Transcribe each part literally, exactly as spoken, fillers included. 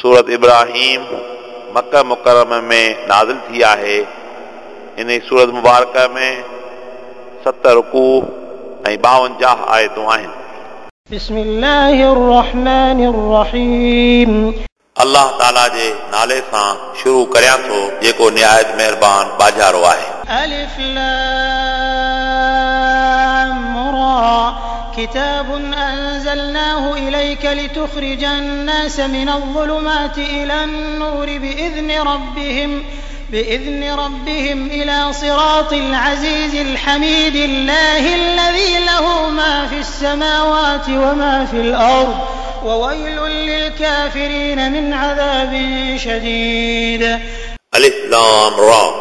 सूरत इब्राहिम मक्का मुकर्रमा में नाज़िल थी आहे। इन सूरत मुबारक में सत रुकू ऐं ॿावंजाह आयतूं आहिनि। बिस्मिल्लाहिर रहमानिर रहीम। अल्लाह ताला जे नाले सां शुरू करियां थो जेको निहायत महिरबान बाजारो आहे। अलिफ लाम रा किताब أنزلناه إليك لتخرج الناس من الظلمات إلى النور بإذن ربهم بإذن ربهم إلى صراط العزيز الحميد الله الذي له ما في السماوات وما في الأرض وويل للكافرين من عذاب شديد. ألف لام را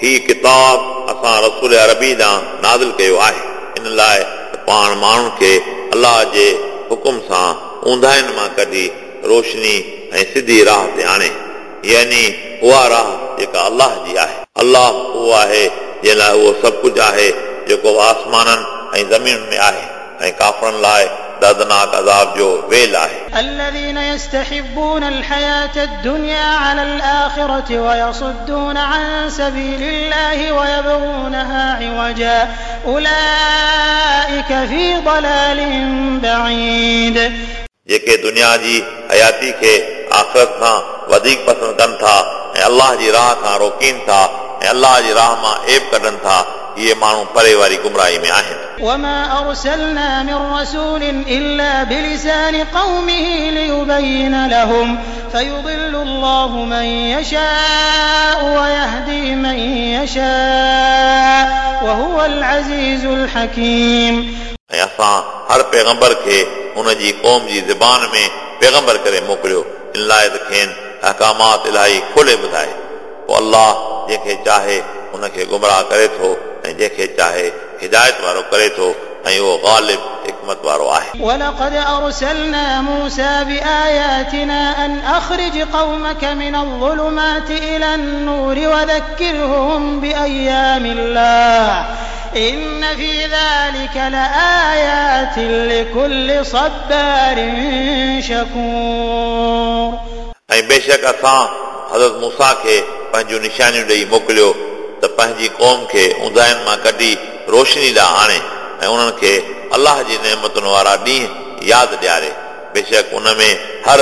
ही किताब असां रसूल अरबी ॾांहुं नाज़िल कयो आहे इन लाइ त पाण माण्हुनि खे अल्लाह जे हुकुम सां ऊंधाइन मां कढी रोशनी ऐं सिधी राह ते आणे, यानी उहा राह जेका अल्लाह जी आहे। अल्लाह उहो आहे जंहिं लाइ उहो सभु कुझु आहे जेको आसमाननि ऐं ज़मीन में आहे, ऐं काफ़रनि लाइ दर्दनाक अज़ाब जो वेल आहे। الذين يستحبون الحياة الدنيا على الآخرة ويصدون عن سبيل الله ويبغونها عوجا أولئك في ضلال بعيد. जेके दुनिया जी हयाती खे आख़िरत खां वधीक पसंदि कनि था ऐं अल्लाह जी राह खां रोकीनि था ऐं अल्लाह जी राह मां ऐब कढनि था, इहे माण्हू परे वारी गुमराही में आहिनि। وما أرسلنا من رسول إلا بلسان قومه ليبين لهم فيضل الله من يشاء ويهدي من يشاء وهو العزيز الحكيم. ऐं असां हर पैगंबर खे हुनजी क़ौम जी ज़बान में पैगंबर करे मोकिलियो इन लाइ त खेनि अहकामात इलाही खोले ॿुधाए। पोइ अल्लाह जंहिंखे चाहे हुनखे गुमराह करे थो ऐं जंहिंखे चाहे हिदायत वारो करे थो, ऐं उहो ग़ालिब हिकमत वारो आहे। ولقد أرسلنا موسى بآياتنا أن أخرج قومك من الظلمات إلى النور وذكرهم بأيام الله إن في ذلك لآيات لكل صبار شكور. ऐं बेशक असां हज़रत मूसा खे पंहिंजूं निशानियूं ॾेई मोकिलियो त पंहिंजी क़ौम खे ऊंधाइन मां कढी रोशनी ॾांहुं आणे ऐं उन्हनि खे अल्लाह जी नेमतुनि वारा ॾींहं यादि ॾियारे। बेशक उन में हर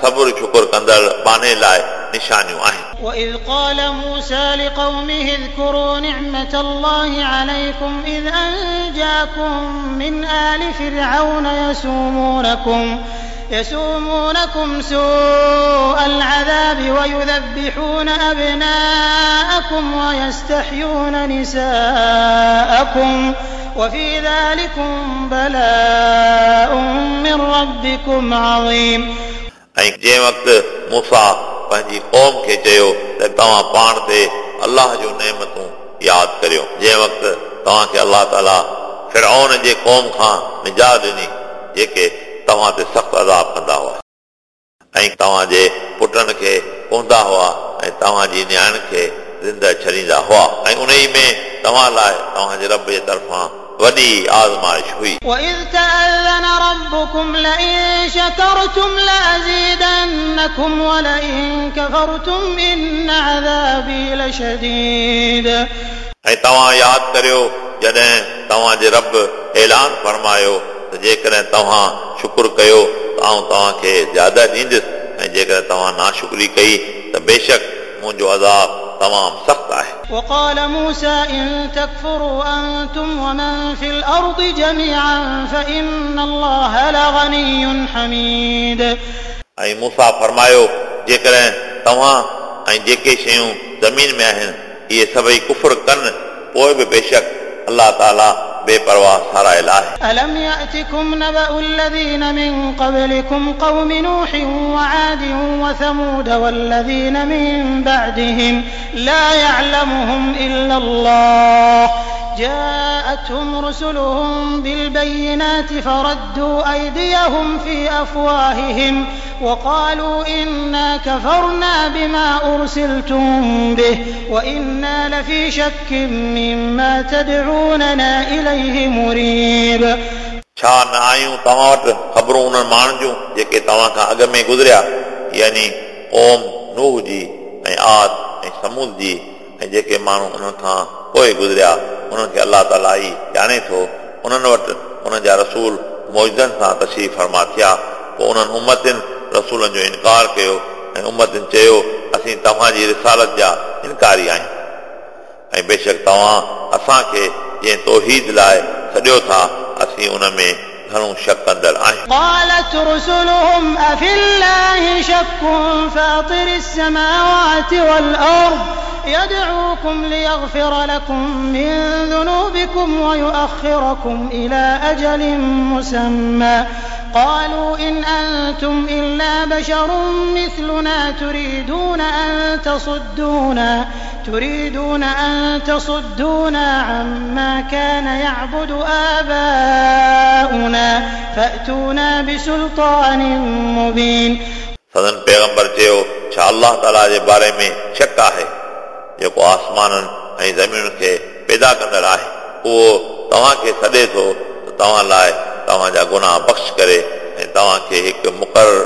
सब्र शुक्र कंदड़ बाने लाइ निशानियूं आहिनि। وإذ قال موسى لقومه اذكروا نعمة الله عليكم إذ أنجاكم من آل فرعون يسومونكم يسومونكم سوء العذاب ويذبحون أبناءكم ويستحيون نساءكم وفي ذلكم بلاء من ربكم عظيم. ऐं जंहिं वक़्तु मूसा पंहिंजी क़ौम खे चयो त तव्हां पाण ते अल्लाह जूं नेमतूं यादि करियो, जंहिं वक़्तु तव्हांखे अल्लाह ताला फिरौन जे क़ौम खां निजात ॾिनी जेके तव्हां ते सख़्तु अज़ाब कंदा हुआ ऐं तव्हांजे पुटनि खे कोंदा हुआ ऐं तव्हांजी नियाणियुनि खे ज़िंदा छॾींदा हुआ, ऐं उन ई में तव्हां लाइ तव्हांजे रब जे तरफ़ां वॾी आज़माइश हुई। وإذ تأذن ربكم لئن شكرتم لأزيدنكم ولئن كفرتم إن عذابي لشديد. ऐं तव्हां यादि करियो जॾहिं तव्हांजे रब ऐलान फरमायो त जेकॾहिं तव्हां शुक्र कयो त आउं तव्हांखे ज़्यादा ॾींदुसि, ऐं जेकॾहिं तव्हां नाशुक्री कई त बेशक मुंहिंजो अज़ाब तमामु सख़्तु आहे। وقال موسى إن تكفروا أنتم ومن في الأرض جميعا فإن الله لغني حميد. ऐं मूसा फरमायो जेकॾहिं तव्हां ऐं जेके शयूं ज़मीन में आहिनि इहे सभई कुफर कनि पोइ बि बेशक अल्लाह ताला बेपरवाह सारायल आहे। ألم يأتكم نبأ الذين من قبلكم قوم نوح وعاد وثمود والذين من بعدهم لا يعلمهم إلا الله جاءتهم رسلهم بالبينات فردوا أيديهم في أفواههم وقالوا إنا كفرنا بما أرسلتم به وإنا لفي شك مما تدعوننا إليه مريب. छा न आयूं तव्हां वटि ख़बरूं उन्हनि माण्हुनि जूं जेके तव्हां खां अॻु में गुज़रिया, यानी क़ौम नूह जी ऐं आद ऐं समूद जी ऐं जेके माण्हू उन्हनि खां पोइ गुज़रिया उन्हनि खे अलाह ताला ई ॼाणे थो। उन्हनि वटि उन्हनि जा रसूल मौजदनि सां तशरीफ़ फरमा थिया, पोइ उन्हनि उम्मतियुनि रसूलनि जो इनकार कयो ऐं उम्मतियुनि चयो असीं तव्हांजी रिसालत जा इनकारी आहियूं ऐं बेशक तव्हां असांखे जंहिं तौहीद लाइ सॾियो था असीं उन में घणो शक कंदड़ आहियूं। قالت رسلهم أفي الله شك فاطر السماوات والأرض يدعوكم ليغفر لكم من ذنوبكم ويؤخركم إلى أجل مسمى قالوا إن أنتم إلا بشر مثلنا تريدون أن تصدونا تريدون أن تصدونا عما كان يعبد آباؤنا فأتونا بسلطان مبين। सदन पैगंबर चयो छा अलाह ताला जे बारे में शक आहे जेको आसमाननि ऐं ज़मीनुनि खे पैदा कंदड़ आहे, उहो तव्हांखे सॾे थो त तव्हां लाइ तव्हांजा गुनाह बख़्श करे ऐं तव्हांखे हिकु मुक़ररु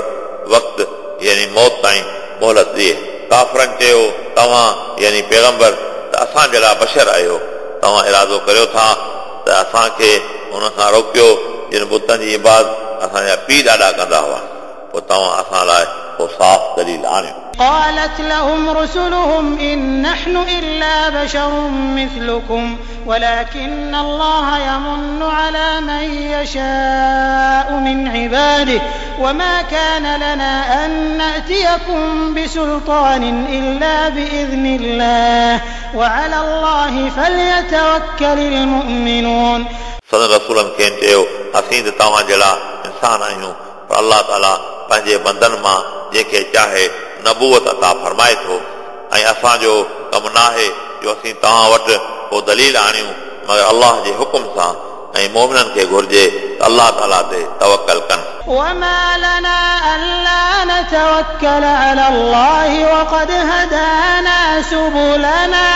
वक़्तु यानी मौत ताईं मोहलत ॾिए। काफ़रनि चयो तव्हां यानी पैगंबर त असां जहिड़ा बशर आहियो, तव्हां इरादो करियो था त असांखे हुन खां रोकियो जिन बुतनि जी इबादत असांजा पीउ ॾाॾा कंदा हुआ, पोइ तव्हां असां लाइ को साफ़ दलील आणियो। قالت لهم رسلهم إن نحن إلا بشر مثلكم ولكن الله يمن على من يشاء من عباده وما كان لنا أن نأتيكم بسلطان إلا بإذن الله وعلى الله فليتوكل المؤمنون। सदन रसूलनि खेनि चयो असीं त तव्हां जहिड़ा इंसान आहियूं, पर अलाह ताला पंहिंजे बंदनि मां जंहिंखे चाहे नबूअत अता फरमाए थो ऐं असांजो कमु नाहे जो असीं तव्हां वटि को दलील आणियूं मगर अलाह जे हुकुम सां, ऐं मोमिननि खे घुर्जे त अलाह ताला ते तवकल कनि। وما لنا ألا نتوكل على الله وقد هدانا سبلنا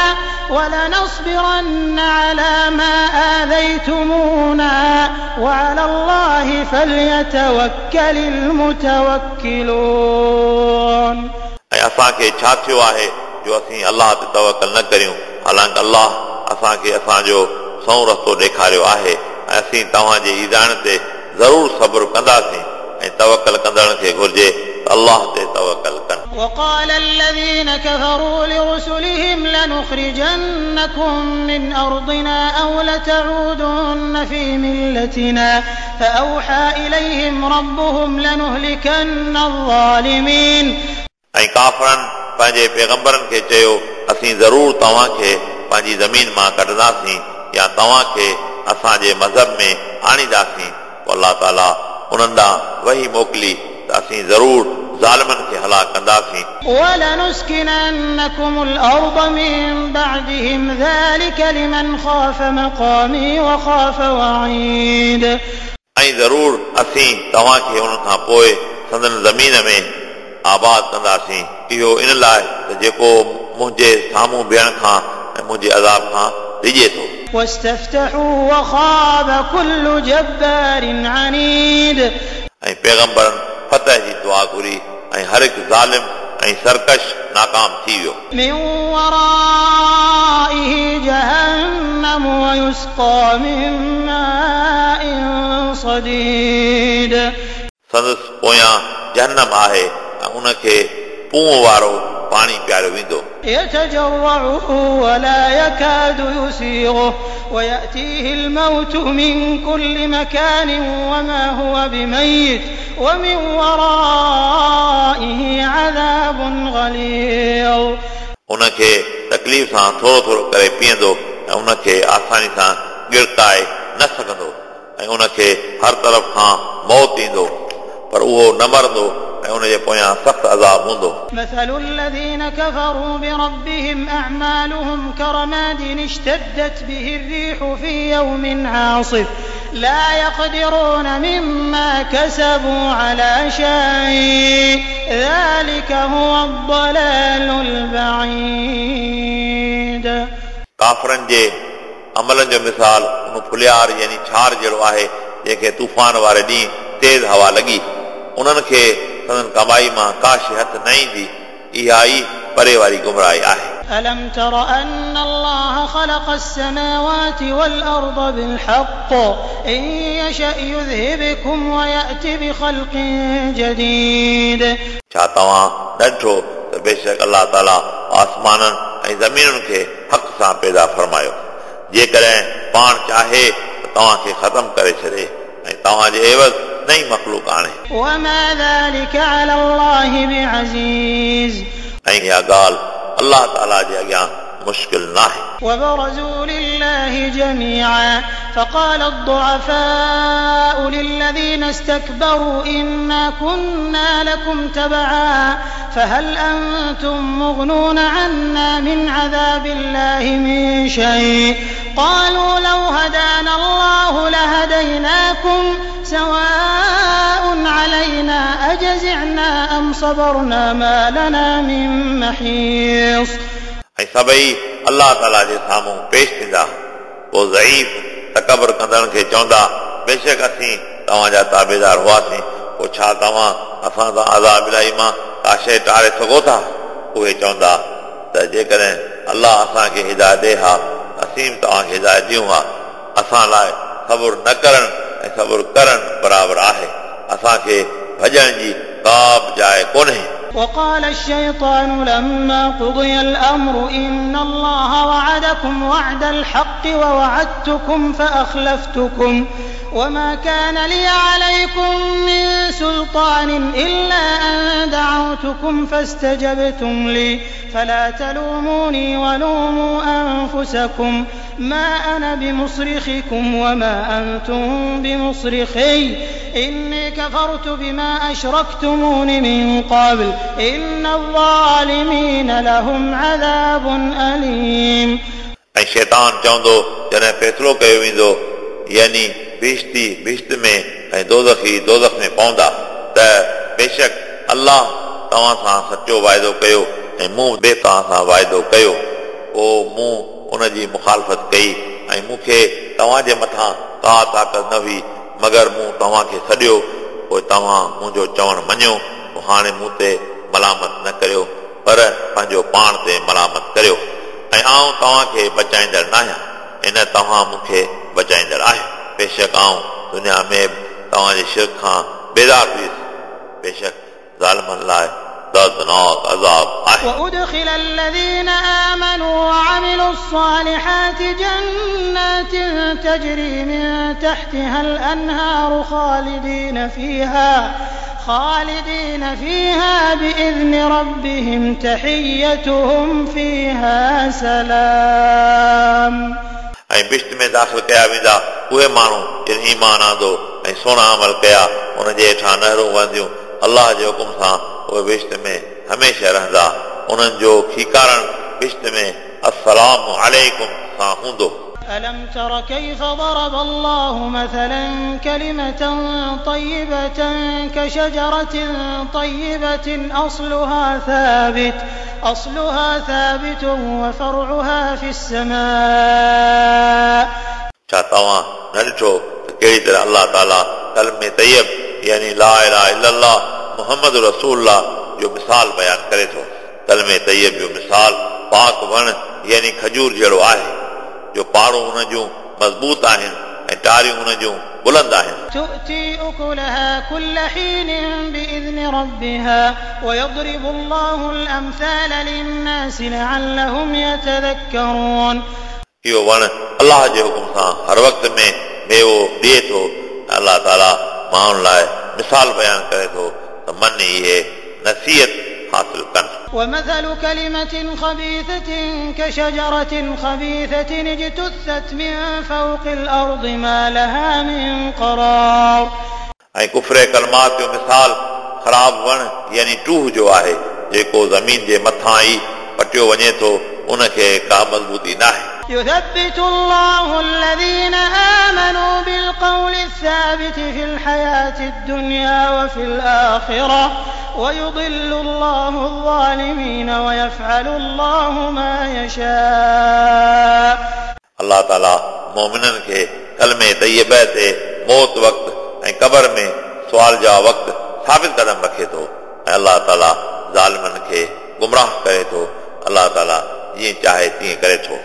ولنصبرن على ما آذيتمونا وعلى الله فليتوكل المتوكلون। ऐं असांखे छा थियो आहे जो असीं अलाह ते तवकल न करियूं, हालांकि अलाह असांखे असांजो सओं रस्तो ॾेखारियो आहे ऐं असीं तव्हांजे ईज़ाइण ते ज़रूरु सब्र कंदासीं ऐं तवकल कंदड़ खे घुर्जे त अलाह ते तवकल कनि। وقال الذين كفروا لرسلهم لنخرجنكم من أرضنا أو لتعودن في ملتنا فأوحى إليهم ربهم لنهلكن الظالمين। ऐं काफ़रनि पंहिंजे पैगंबरनि खे चयो असीं ज़रूरु तव्हांखे पंहिंजी ज़मीन मां कढंदासीं या तव्हांखे असांजे मज़हब में आणींदासीं। पोइ अलाह ताला उन्हनि ॾांहुं वही मोकिली त असीं ज़रूरु ज़ालिमनि खे हलाक कंदासीं। ولنسكننكم الأرض من بعدهم ذلك لمن خاف مقامي وخاف وعيد। ऐं ज़रूरु असीं तव्हांखे उन्हनि खां पोइ संदन ज़मीन में आबाद कंदासीं, इहो इन लाइ त जेको मुंहिंजे साम्हूं बीहण खां ऐं मुंहिंजे अज़ाब खां डिॼे थो। واستفتحوا وخاب كل جبار عنيد। ऐं पैगंबरनि फतह जी दुआ घुरी ऐं हर हिकु ज़ालिम ऐं सरकश नाकाम थी वियो। من ورائه جهنم ويسقى من ماء صديد। संदसि पोयां जहन्नम आहे ऐं उनखे पूं वारो पाणी पीआरियो वेंदो। يتجرعه ولا يكاد يسيغه ويأتيه الموت من كل مكان وما هو بميت ومن ورائه عذاب غليظ। उनखे तकलीफ़ सां थोरो थोरो करे पीअंदो ऐं उनखे आसानी सां गिड़काए न सघंदो ऐं उनखे हर तरफ़ खां मौत ईंदो पर उहो न मरंदो ऐं उनजे पोयां सख़्तु अज़ाब हूंदो। مثل الذين كفروا بربهم أعمالهم كرماد اشتدت به الريح في يوم عاصف لا يقدرون مما كسبوا على شيء ذلك هو الضلال البعيد. काफ़रनि जे अमलनि जो मिसाल उन फुलियार यानी छार जहिड़ो आहे जंहिंखे तूफ़ान वारे ॾींहुं तेज़ हवा लॻी। उन्हनि खे संदन कमाई मां का शइ हथ न ईंदी। इहा ई परे वारी गुमराही आहे। ألم تر أن الله خلق السماوات والأرض بالحق إن يشأ يذهبكم ويأت بخلق جديد। छा तव्हां न ॾिठो त बेशक अलाह ताला आसमाननि ऐं ज़मीनुनि खे हक़ सां पैदा फरमायो, जेकॾहिं पाण चाहे त तव्हांखे ख़तमु करे छॾे ऐं तव्हांजे एवज़ नई मख़लूक आणे। وما ذلك على الله بعزيز। ऐं इहा ॻाल्हि अलाह ताला जे अॻियां मुश्किल नाहे। وبرزوا لله جميعا فقال الضعفاء للذين استكبروا إنا كنا لكم تبعا فهل أنتم مغنون عنا من عذاب الله من شيء قالوا لو هدانا الله لهديناكم سواء علينا أجزعنا أم صبرنا ما لنا من محيص। ऐं सभई अलाह ताला जे साम्हूं पेश थींदा, पोइ ज़ईफ़ तकबर कंदड़नि खे चवंदा, बेशक असीं तव्हांजा ताबेदार हुआसीं, पोइ छा तव्हां असां सां अज़ाब इलाही मां का शइ टारे सघो था? उहे चवंदा त जेकॾहिं अलाह असांखे हिदायत ॾिए हा असीं बि तव्हांखे हिदायत ॾियूं हा। असां लाइ सबुरु न करणु ऐं सबुरु करणु बराबरि आहे, असांखे भॼण जी का बि जाइ कोन्हे। وقال الشيطان لما قضي الأمر إن الله وعدكم وعد الحق ووعدتكم فأخلفتكم وما كان لي عليكم من سلطان إلا أن دعوتكم فاستجبتم لي فلا تلوموني ولوموا أنفسكم ما أنا بمصرخكم وما أنتم بمصرخي إني كفرت بما أشركتمون من قبل إن الظالمين لهم عذاب أليم। ऐं शैतान चवंदो जॾहिं फ़ैसिलो कयो वेंदो, यानी बिश्ती बिश्त में ऐं दोज़खी दोज़ख में पवंदा, त बेशक अलाह तव्हां सां सचो वाइदो कयो ऐं मूं बि तव्हां सां वाइदो कयो, पोइ मूं उन जी मुखालफ़त कई ऐं मूंखे तव्हांजे मथां का ताक़त न हुई, मगर मूं तव्हांखे सॾियो, पोइ तव्हां मुंहिंजो चवणु मञियो, पोइ हाणे मूं ते मलामत न करियो, पर पंहिंजो पाण ते मलामत करियो, ऐं आउं तव्हांखे बचाईंदड़ न आहियां ऐं न तव्हां मूंखे बचाईंदड़ आहियो। बेशक आउं दुनिया में बि तव्हांजे शिरक खां बेदार हुयुसि, बेशक ज़ालिमनि लाइ दर्दनाक अज़ाब आहे। وأدخل الذين آمنوا وعملوا الصالحات جنات تجري من تحتها الأنهار خالدين فيها خالدين فيها بإذن ربهم تحيتهم فيها سلام। ऐं बिश्त में दाख़िल कया वेंदा उहे माण्हू जिन ईमान आंदो ऐं सुहिणा अमल कया, उन जे हेठां नहरूं वहंदियूं, अलाह जे हुकुम सां उहे बिश्त में हमेशह रहंदा, उन्हनि जो खीकारण बिश्त में अस्सलाम अलैकुम सां हूंदो। ألم تر كيف ضرب الله مثلا كلمة طيبة كشجرة طيبة أصلها ثابت أصلها ثابت وفرعها في السماء। छा तव्हां न ॾिठो त कहिड़ी तरह अलाह ताला कलमे तैयब यानी ला इलाहा इल्लल्लाह मोहम्मद रसूलुल्लाह जो मिसाल बयानु करे थो। कलमे तैयब जो मिसाल पाक वण यानी खजूर जहिड़ो आहे, जो पाड़ूं उन जूं मज़बूत आहिनि ऐं टारियूं उन जूं बुलंद आहिनि। تؤتي أكلها كل حين بإذن ربها ويضرب الله الأمثال للناس لعلهم يتذكرون। इहो वण अलाह जे हुकुम सां हर वक़्त में मेवो ॾिए थो। अलाह ताला माण्हुनि लाइ मिसाल बयानु करे थो त मन इहे नसीहत हासिल कनि। ومثل كلمة خبيثة كشجرة خبيثة اجتثت من فوق الأرض ما لها من قرار। ऐं कुफरे कलमात जो मिसाल ख़राब वण यानी टूह जो आहे, जेको ज़मीन जे मथां ई पटियो वञे थो, उनखे का मज़बूती न आहे। يثبت الله الذين آمنوا بالقول الثابت في الحياة الدنيا وفي الآخرة ويضل الله الظالمين ويفعل الله ما يشاء. अलाह ताला मोमिननि खे कलमे तैयबा ते मौत वक़्तु ऐं क़बर में सुवाल जवाब वक़्तु ثابت قدم رکي ٿو ۽ الله تعاليٰ ظالمن کي گمراهه ڪري ٿو. الله تعاليٰ جيئن چاهي تيئن ڪري ٿو.